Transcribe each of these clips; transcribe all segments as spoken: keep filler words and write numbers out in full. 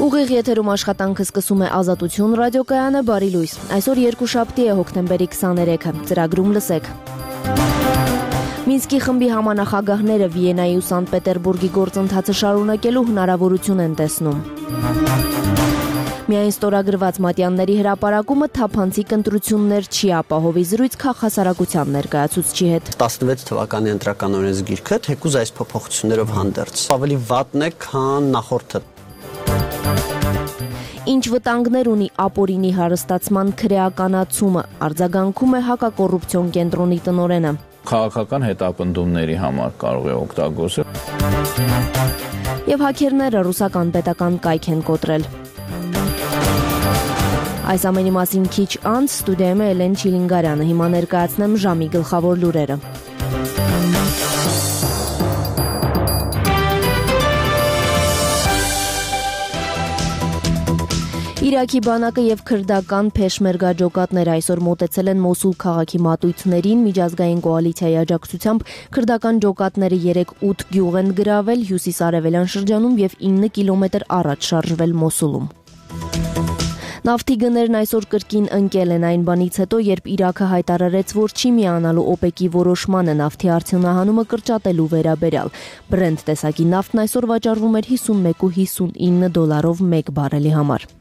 Ուղիղ եթերում աշխատանքը սկսում է Ազատություն ռադիոկայանը, բարի լույս։ Այսօր երկուշաբթի է հոկտեմբերի քսաներեքը, ծրագրում լսեք։ Մինսկի խմբի համանախագահները Վիեննայի ու Սանտ Պետերբուրգի գործընթացը շարունակելու հնարավորություն են տեսնում։ Միայն ստորագրված մատյանների հրապարակումը թափանցիկ ընտրություններ չի ապահովի, զրույց քաղաքասարակության ներկայացուցչի հետ։ տասնվեց թվականի ընտրական օրենսգիրքը թեկուզ այս փոփոխություններով հանդերձ ավելի վատն է, քան նախորդը։ Ինչ վտանգներ ունի ապօրինի հարստացման քրեականացումը, արձագանքում է հակակոռուպցիոն կենտրոնի տնօրենը։ Քաղաքական հետապնդումների համար կարող է օգտագործել։ Եվ հաքերները ռուսական պետական կայք են կոտրել։ Այս ամենի մասին քիչ անց ստուդիայում է Էլեն Չիլինգարյանը, հիմա ներկայացնեմ ժամի գլխավոր լուրերը։ Իրաքի բանակը եւ քրդական փեշմերգա ջոկատները այսօր մոտեցել են Մոսուլ քաղաքի մատույցներին, միջազգային կոալիցիայի աջակցությամբ քրդական ջոկատները երեկ ութ գյուղ են գրավել հյուսիս-արևելյան շրջանում եւ ինը կիլոմետր առաջ շարժվել Մոսուլում։ Նավթի գներն այսօր կրկին ընկել են այն բանից հետո, երբ Իրաքը հայտարարեց, որ չի միանալու օպեկի որոշմանը նավթի արդյունահանումը կրճատելու վերաբերյալ։ Բրենդ տեսակի նավթն այսօր վաճառվում էր հիսունմեկ ու հիսունինը դոլարով մեկ բարելի համար։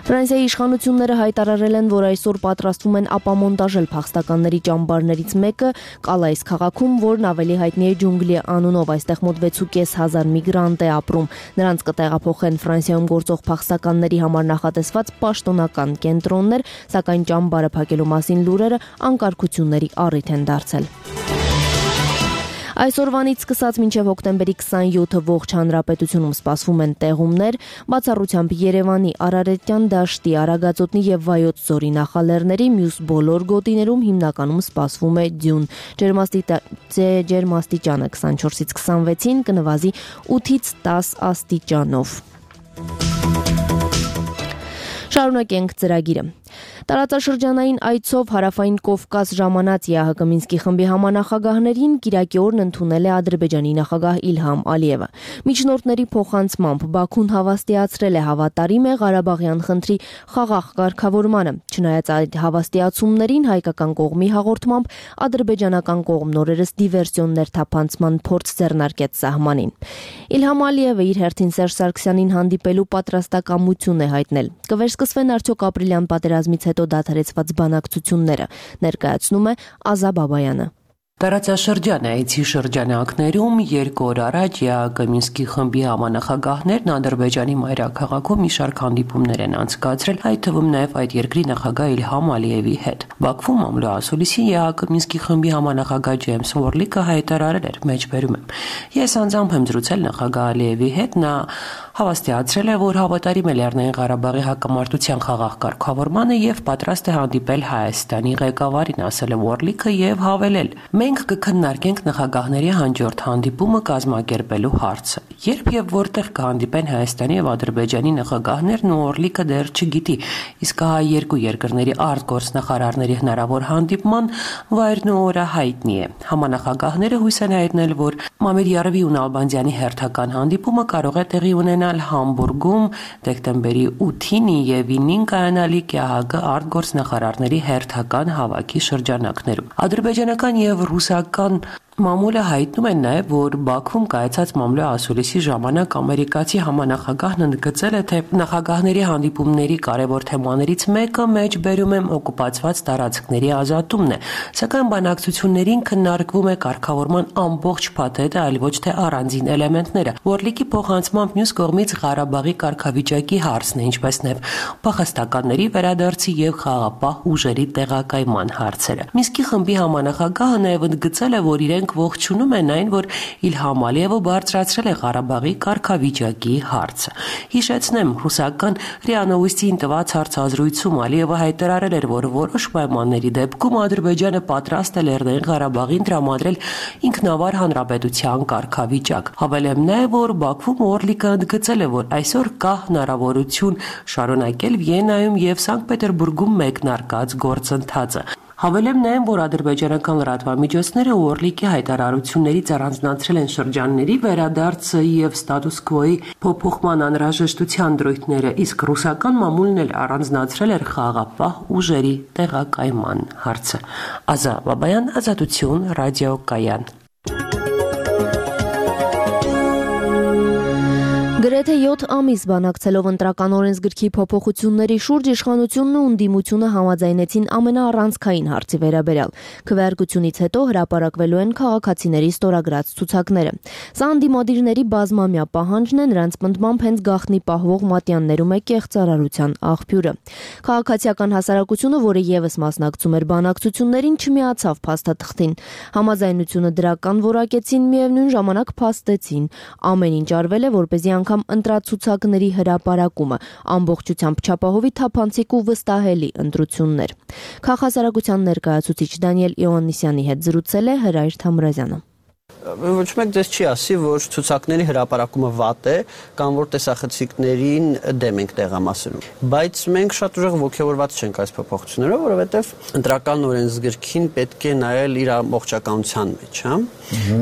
Ֆրանսիայի իշխանությունները հայտարարել են, որ այսօր պատրաստվում են ապամոնտաժել փախստականների ճամբարներից մեկը Կալայիս քաղաքում, որն ավելի հայտնի է ջունգլի անունով, այստեղ մոտ վեց ու կես հազար միգրանտ է ապրում։ Նրանց կտեղափոխեն Ֆրանսիայում գործող փախստականների համար նախատեսված պաշտոնական կենտրոններ, սակայն ճամբարը փակելու մասին լուրերը անկարգությունների առիթ են դարձել։ Այսօրվանից սկսած մինչև հոկտեմբերի քսանյոթը ողջ հանրապետությունում սպասվում են տեղումներ, բացառությամբ Երևանի, Արարատյան դաշտի, Արագածոտնի եւ Վայոց ձորի նախալեռների, մյուս բոլոր գոտիներում հիմնականում սպասվում է ձյուն։ Ջերմաստիճանը քսանչորսից քսանվեցին, կնվազի ութից տաս աստիճանով։ Շարունակենք ծրագիրը։ Տարածաշրջանային այցով Հարավային Կովկաս ժամանած ԵԱՀԿ Մինսկի խմբի համանախագահներին Կիրակի օրն ընդունել է Ադրբեջանի նախագահ Իլհամ Ալիևը։ Միջնորդների փոխանցմամբ Բաքուն հավաստիացրել է հավատարիմ է Ղարաբաղյան խնդրի խաղաղ կարգավորմանը։ Չնայած այդ հավաստիացումներին, հայկական կողմի հաղորդմամբ ադրբեջանական կողմն օրերս դիվերսիոններ թափանցման փորձ ձեռնարկեց սահմանին։ Իլհամ Ալիևը իր հերթին Սերժ Սարգսյանին հանդիպելու պատրաստակամություն է հայտնել։ Կվերսկսվեն արդյոք ապրիլյան պատերազմից հետո դադարեցված բանակցությունները, ներկայացնում է Ազա Բաբայանը։ Տարածաշրջան այցի շրջանակներում երկու օր առաջ ԵԱՀԿ Մինսկի խմբի համանախագահներն Ադրբեջանի մայրաքաղաքում մի շարք հանդիպումներ են անցկացրել, այդ թվում նաև այդ երկրի նախագահ Իլհամ Ալիևի հետ։ Բաքվում ամլո ասուլիսի ԵԱՀԿ Մինսկի խմբի համանախագահ Ջեյմս Վորլիկը հայտարարել էր, մեջբերում եմ. Ես անձամբ եմ զրուցել նախագահ Ալիևի հետ, նա հավաստիացրել է, որ հավատարիմ է Լեռնային Ղարաբաղի հակամարտության խաղաղ կարգավորմանը եւ պատրաստ է հանդիպել Հայաստանի ղեկավարին, ասել է Վորլիկը եւ հավելել. Մենք կքննարկենք նախագահների հաջորդ հանդիպումը կազմակերպելու հարցը։ Երբ եւ որտեղ կհանդիպեն Հայաստանի եւ Ադրբեջանի նախագահներն ու Օրլիկը դեռ չգիտի, իսկ հա երկու երկրների արտգործնախարարների հնարավոր հանդիպման վայրն ու օրը հայտնի է։ Համանախագահները հույս են հայտնել, որ Մամեդյարովի ու Նալբանդյանի հերթական հանդիպումը կարող է տեղի ունենալ Համբուրգում դեկտեմբերի ութին եւ ինին կայանալիք ԵԱՀԿ արտգործնախարարների հերթական հավաքի շրջանակներում։ Ադրբեջանական եւ ռուսական մամուլը հայտնում են նաև, որ Բաքվում կայացած մամլո ասուլիսի ժամանակ ամերիկացի համանախագահն ընդգծել է, թե նախագահների հանդիպումների կարևոր թեմաներից մեկը մեջբերում եմ օկուպացված տարածքների ազատումն է, սակայն բանակցություններին քննարկվում է կարգավորման ամբողջ փաթեթը, այլ ոչ թե առանձին էլեմենտները։ Վորլիկի փոխանցմամբ մյուս կողմից Ղարաբաղի կարգավիճակի հարցն է, ինչպես նաև փախստականների վերադարձի եւ խաղաղապահ ուժերի տեղակայման հարցերը։ Մինսկի խմբի համանախագահը նաև ընդգծել է, որ իրենք ողջունում են այն, որ Իլհամ Ալիևը բարձրացրել է Ղարաբաղի կարգավիճակի հարցը։ Հիշեցնեմ, ռուսական րիա Նովոստիին տված հարցազրույցում Ալիևը հայտարարել էր, որ որոշ պայմանների դեպքում Ադրբեջանը պատրաստ է Լեռնային Ղարաբաղին տրամադրել ինքնավար հանրապետության կարգավիճակ։ Հավելեմ նաև, որ Բաքվում Օրլիկը ընդգծել է, որ այսօր կա հնարավորություն շարունակել Վիեննայում եւ Սանկտ Պետերբուրգում մեկնարկած գործընթացը։ Հավելեմ նաև, որ ադրբեջանական լրատվամիջոցները Օրլիկի հայտարարություններից առանձնացրել են շրջանների վերադարձը եւ ստատուս քվոյի փոփոխման անհրաժեշտության դրույթները, իսկ ռուսական մամուլն էլ առանձնացրել էր խաղաղապահ ուժերի տեղակայման հարցը։ Ազա Բաբայան, Ազատություն, ռադիոկայան։ Գրեթե յոթ ամիս բանակցելով ընտրական օրենսգրքի փոփոխությունների շուրջ իշխանությունն ու ընդդիմությունը համաձայնեցին ամենաառանցքային հարցի վերաբերյալ։ Քվեարկությունից հետո հրապարակվելու են քաղաքացիների ստորագրած ցուցակները։ Սա ընդդիմադիրների բազմամյա պահանջն է, նրանց պնդմամբ հենց գաղտնի պահվող մատյաններում է կեղծարարության աղբյուրը։ Քաղաքացիական հասարակությունը, որը եւս մասնակցում էր բանակցություններին, չմիացավ փաստաթղթին։ Համաձայնությունը դրական որակեցին, միևնույն ժամանակ փաստեցին։ Ամեն ինչ արվել է, որպեսզի անգամ ընտրացուցակների հրապարակումը ամբողջությամբ չափահովի թափանցիկ ու վստահելի ընտրություններ։ Քաղաքասարակության ներկայացուցիչ Դանիել Իոաննիսյանի հետ զրուցել է Հրայր Թամրազյանը։ Ոչ մեկ դες չի ասի, որ ցուցակների հրապարակումը վատ է կամ որ տեսախցիկներին դեմ ենք տեղամասերում։ Բայց մենք շատ ուժեղ ողջավորված չենք այս փոփոխություններով, որովհետև ընտրական օրենսգրքին պետք է նայել իր ամբողջականության մեջ, հա։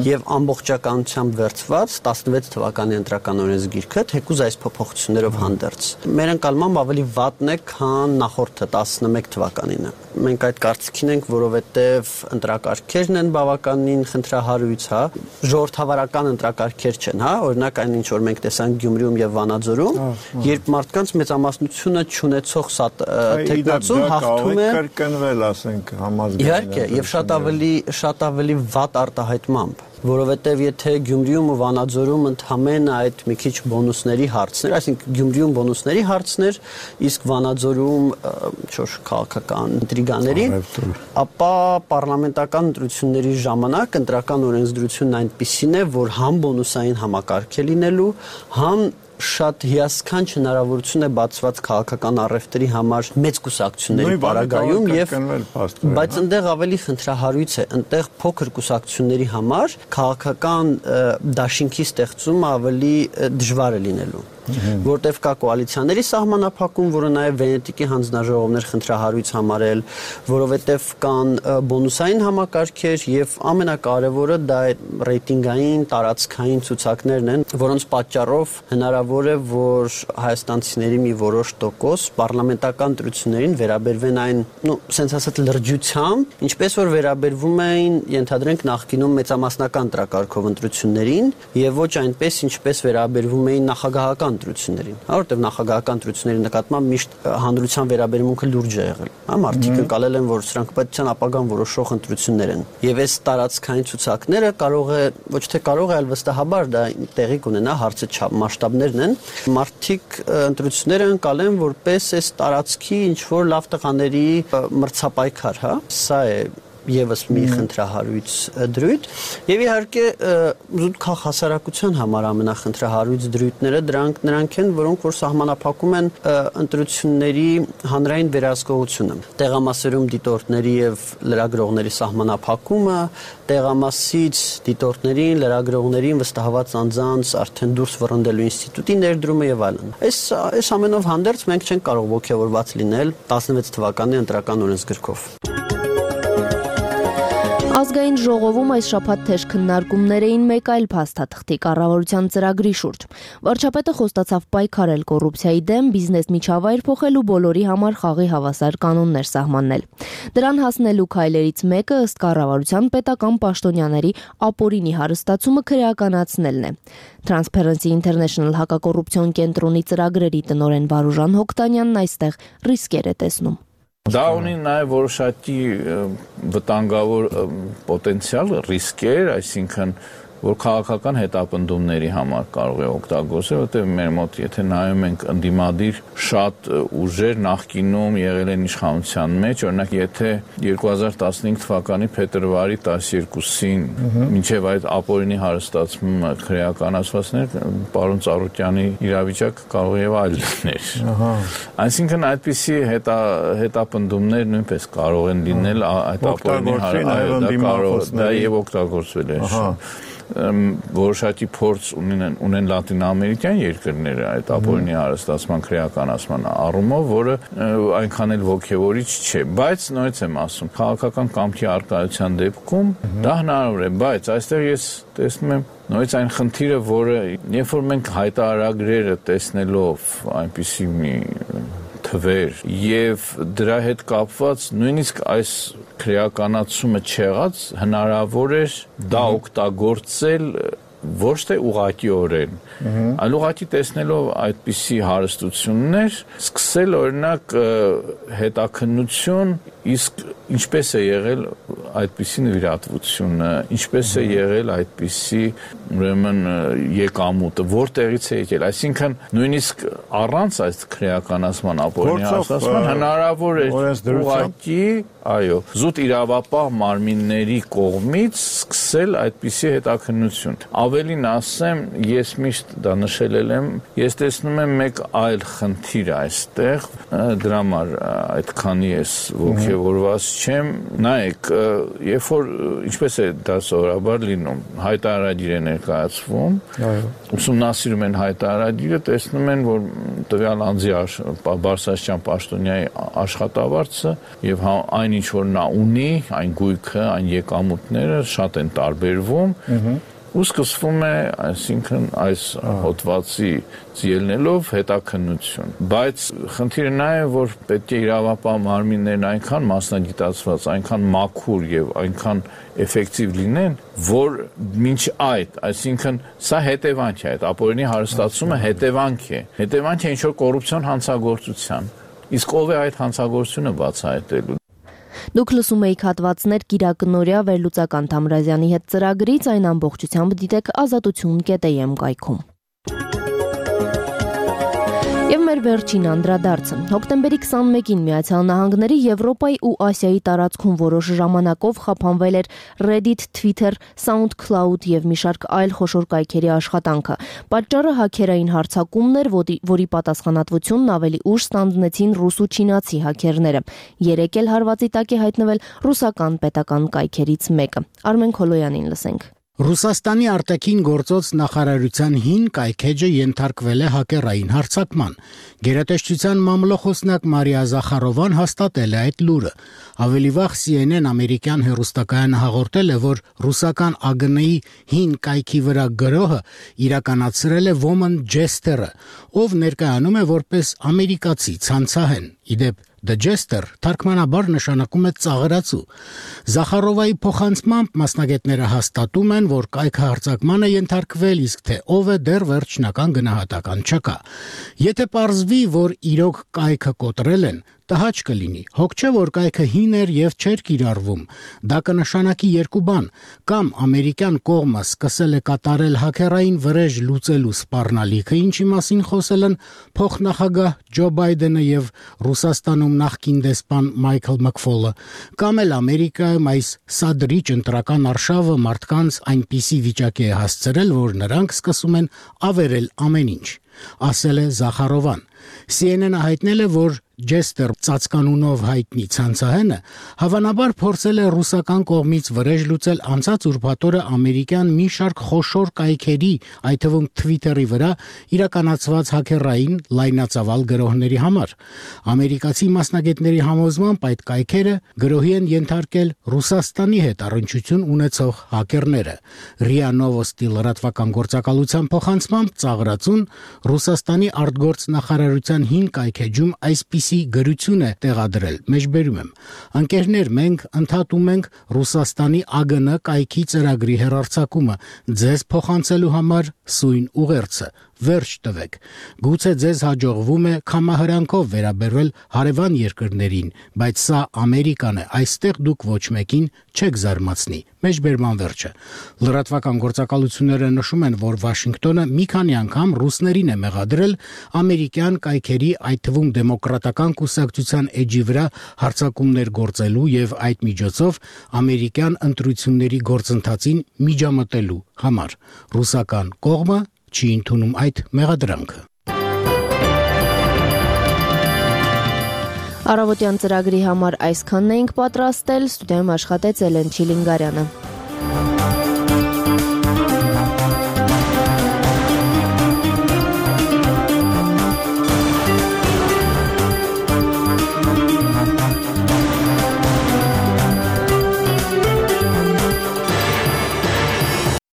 Եվ ամբողջականությամբ վերցված տասնվեց թվականի ընտրական օրենսգիրքը թեկուզ այս փոփոխություններով հանդերձ։ Մեր ընկալմամբ ավելի վատն է, քան նախորդը տասնմեկ թվականինը։ Մենք այդ կարծիքին ենք, որովհետև ընտրակարգերն են բավականին խնդրահարույց, հա, ժողովրդավարական ընտրակարգեր չեն, հա, օրինակ այն ինչ որ մենք տեսանք Գյումրիում եւ Վանաձորում, երբ մարդկանց մեծամասնությունը չունեցող թեկնածուն հաղթում է կրկնվել, ասենք, համազգային։ Իհարկե, եւ շատ ավելի շատ ավելի վատ արտահայտմամբ, որովհետև եթե Գյումրիում ու Վանաձորում ընդհանրապես այդ մի քիչ բոնուսների հարցներ, այսինքն Գյումրիում բոնուսների հարցներ, իսկ Վանաձորում չոր քաղաքական ինտրիգաների, ապա պարլամենտական ընտրությունների ժամանակ ընտրական օրենսդրությունն այնպիսին է, որ համ բոնուսային համակարգ է լինելու, համ շատ հիասքանչ հնարավորություն է բացված քաղաքական առևտրի համար մեծ կուսակցությունների պարագայում եւ բայց այնտեղ ավելի խնդրահարույց է, այնտեղ փոքր կուսակցությունների համար քաղաքական դաշինքի ստեղծումը ավելի դժվար է լինելու, որտեղ կա կոալիցիաների սահմանափակում, որը նաև Վենետիկի հանձնաժողովներ խնդրահարույց համարել, որովհետև կան բոնուսային համակարգեր եւ ամենակարևորը դա ռեյտինգային տարածքային ցուցակներն են, որոնց պատճառով հնարավոր է, որ հայաստանցիների մի որոշ տոկոս պարլամենտական ընտրություններին վերաբերվեն այն, ну, sense ասած լրջությամբ, ինչպես որ վերաբերվում էին, ենթադրենք նախկինում մեծամասնական ընտրակարգով ընտրություններին եւ ոչ այնպես, ինչպես վերաբերվում էին նախագահական ընտրություններին, որովհետև նախագահական ընտրությունների նկատմամբ միշտ հանրության վերաբերմունքը լուրջ է եղել։ Հա, մարդիկ ընկալել են, որ սրանք պետության ապագան որոշող ընտրություններ են։ Եվ այս տարածքային ցուցակները կարող է, ոչ թե կարող է, այլ վստահաբար դա տեղի կունենա, հարցը մասշտաբներն են։ Մարդիկ ընտրությունները ընկալեն որպես այս տարածքի ինչ որ լավ տղաների մրցապայքար, հա։ Սա է եւս մի խնդրահարույց դրույթ եւ իհարկե զուտ քաղաքասարակության համար ամենախնդրահարույց դրույթները դրանք նրանք են, որոնք որ սահմանափակում են ընտրությունների հանրային վերահսկողությունը, տեղամասերում դիտորդների եւ լրագրողների սահմանափակումը, տեղամասից դիտորդներին, լրագրողներին վստահված անձանց արդեն դուրս վռնդելու ինստիտուտի ներդրումը եւ այլն։ Այս այս ամենով հանդերձ մենք չենք կարող ողջավորված լինել տասնվեց թվականի ընտրական օրենսգրքով։ Ազգային ժողովում այս շաբաթ թեժ քննարկումներ էին մեկ այլ փաստաթղթի կառավարության ծրագրի շուրջ։ Վարչապետը խոստացավ պայքարել կոռուպցիայի դեմ, բիզնես միջավայր փոխել ու բոլորի համար խաղի հավասար կանոններ սահմանել։ Դրան հասնելու քայլերից մեկը ըստ կառավարության պետական պաշտոնյաների ապօրինի հարստացումը քրեականացնելն է։ Transparency International հակակոռուպցիոն կենտրոնի ծրագրերի տնօրեն Վարուժան Հոկտանյանն այստեղ ռիսկեր է տեսնում։ Դա ունի նաև որոշակի վտանգավոր պոտենցիալ ռիսկեր, այսինքն որ քաղաքական հետապնդումների համար կարող է օգտագործել, որտեղ մեր մոտ եթե նայում ենք ընդդիմադիր շատ ուժեր նախկինում եղել են իշխանության մեջ, օրինակ եթե երկու հազար տասնհինգ թվականի փետրվարի տասներկուսին մինչև այդ ապօրինի հարստացումը քրեականացվածներ, պարոն Ծառուկյանի իրավիճակը կարող եւ այլ լիներ։ Այսինքն այդպիսի հետա հետապնդումներ նույնպես կարող են լինել այդ ապօրինի հարստացումը, դա եւ օգտագործվել է։ որոշակի փորձ ունեն ունեն լատինամերիկյան երկրները այդ ապօրինի հարստացման քրեականացման առումով, որը այնքան էլ ոգևորիչ չէ, բայց նույնպես եմ ասում, քաղաքական կամքի արկայության դեպքում դա հնարավոր է, բայց այստեղ ես տեսնում եմ նույնիսկ այն խնդիրը, որը երբ որ մենք հայտարարագրերը տեսնելով այնպիսի մի թվեր եւ դրա հետ կապված նույնիսկ այս քրեականացումը չեղած հնարավոր էր դա օգտագործել ոչ թե ուղղակիորեն, այլ ուղղակի տեսնելով այդպիսի հարստություններ, սկսել օրինակ հետաքննություն, իսկ ինչպես է եղել այդպիսի նվիրատվությունը, ինչպես է եղել այդպիսի ուրեմն եկամուտը, որտեղից է եկել, այսինքն նույնիսկ առանց այս քրեականացման ապօրինի հարստացման հնարավոր է ուղղակի, այո, զուտ իրավապահ մարմինների կողմից սկսել այդպիսի հետաքննություն։ Ավելին ասեմ, ես միշտ դա նշել եմ, ես տեսնում եմ մեկ այլ խնդիր այստեղ, դրա համար այդքանի ես ոգևորված չեմ, նայեք, երբ որ ինչպես է դա սովորաբար լինում, հայտարարագիր է ներկայացվում, ուսումնասիրում են հայտարարագիրը, տեսնում են, որ տվյալ անձի Բարսաշյան պաշտոնյայի աշխատավարձը եւ այն ինչ որ նա ունի, այն գույքը, այն եկամուտները շատ են տարբերվում, ու սկսվում է, այսինքն այս հոդվածի ելնելով հետաքննություն, բայց խնդիրը նա է, որ պետք է իրավապահ մարմիններն այնքան մասնագիտացված, այնքան մաքուր եւ այնքան էֆեկտիվ լինեն, որ մինչ այդ, այսինքն սա հետևանք է, այդ ապօրինի հարստացումը հետևանք է, հետևանք է ինչ-որ կոռուպցիոն հանցագործության, իսկ ով է այդ հանցագործությունը բացահայտելու։ Դուք լսում եք հատվածներ Կիրակնորյա վերլուծական Թամրազյանի հետ ծրագրից, այն ամբողջությամբ դիտեք ազատություն կետ է եմ կայքում։ Եվ մեր վերջին անդրադարձը։ Հոկտեմբերի քսանմեկին Միացյալ Նահանգների, Եվրոպայի ու Ասիայի տարածքում որոշ ժամանակով խափանվել էր Reddit, Twitter, SoundCloud եւ մի շարք այլ խոշոր կայքերի աշխատանքը։ Պատճառը հաքերային հարձակումն էր, որի պատասխանատվությունն ավելի ուշ ստանձնեցին ռուս ու չինացի հաքերները։ Երեք էլ հարվածի տակ է հայտնվել ռուսական պետական կայքերից մեկը։ Արմեն Քոլոյանին լսենք։ Ռուսաստանի արտաքին գործոց նախարարության հին կայքեջը ենթարկվել է հակերային հարձակման։ Գերատեսչության մամլոխոսնակ Մարիա Զախարովան հաստատել է այդ լուրը։ Ավելի վաղ C N N ամերիկյան հեռուստակայանը հաղորդել է, որ ռուսական A G N-ի հին կայքի վրա գրոհը իրականացրել է Woman Jester-ը, ով ներկայանում է որպես ամերիկացի ցանցահեն։ Իդեպ The Jester թարգմանաբար նշանակում է ծաղրացու։ Զախարովայի փոխանցմամբ մասնագետները հաստատում են, որ կայքը հարձակման է ենթարկվել, իսկ թե ով է դեռ վերջնական գնահատական չկա։ Եթե պարզվի, որ իրոք կայքը կոտրել են, տհաճ կլինի։ Հոգ չէ, որ կայքը հին էր եւ չէր կիրառվում։ Դա կնշանակի երկու բան. կամ ամերիկյան կողմը սկսել է կատարել հաքերային վրեժ լուծելու սպառնալիքը, ինչի մասին խոսել են փոխնախագահ Ջո Բայդենը եւ Ռուսաստանում նախկին դեսպան Մայքլ Մակֆոլը, կամ էլ Ամերիկայում այս սադրիչ ընտրական արշավը մարդկանց այնպիսի վիճակի է հասցրել, որ նրանք սկսում են ավերել ամեն ինչ, ասել է Զախարովան։ C N N-ը հայտնել է, որ Jester ծածկանունով հայտնի ցանցահենը հավանաբար փորձել է ռուսական կողմից վրեժ լուծել անցած ուրբաթ օրը ամերիկյան մի շարք խոշոր կայքերի, այդ թվում Twitter-ի վրա իրականացված հաքերային լայնածավալ գրոհների համար։ Ամերիկացի մասնագետների համոզմամբ այդ կայքերը գրոհի են ենթարկել Ռուսաստանի հետ առնչություն ունեցող հաքերները։ Ռիա Նովոստի լրատվական գործակալության փոխանցմամբ ծաղրացուն Ռուսաստանի արտգործ նախարարության հին կայքեջում այսպիսի գրություն է տեղադրել, մեջբերում եմ։ Ընկերներ, մենք ընդհատում ենք Ռուսաստանի A G N կայքի ծրագրի հեռարձակումը, ձեզ փոխանցելու համար սույն ուղերձը, վերջ տվեք։ Գուցե ձեզ հաջողվում է կամահրանքով վերաբերվել հարևան երկրներին, բայց սա Ամերիկան է, այստեղ դուք ոչ մեկին չեք զարմացնի։ Մեջբերման վերջը։ Լրատվական գործակալությունները նշում են, որ Վաշինգտոնը մի քանի անգամ ռուսներին է մեղադրել ամերիկյան կայքերի, այդ թվում դեմոկրատական կուսակցության էջի վրա հարձակումներ գործելու եւ այդ միջոցով ամերիկյան ընտրությունների գործընթացին միջամտելու համար։ Ռուսական կողմը չի ընդունում այդ մեղադրանքը։ Առավոտյան ծրագրի համար այսքանն էինք պատրաստել, ստուդիայում աշխատեց Էլեն Չիլինգարյանը։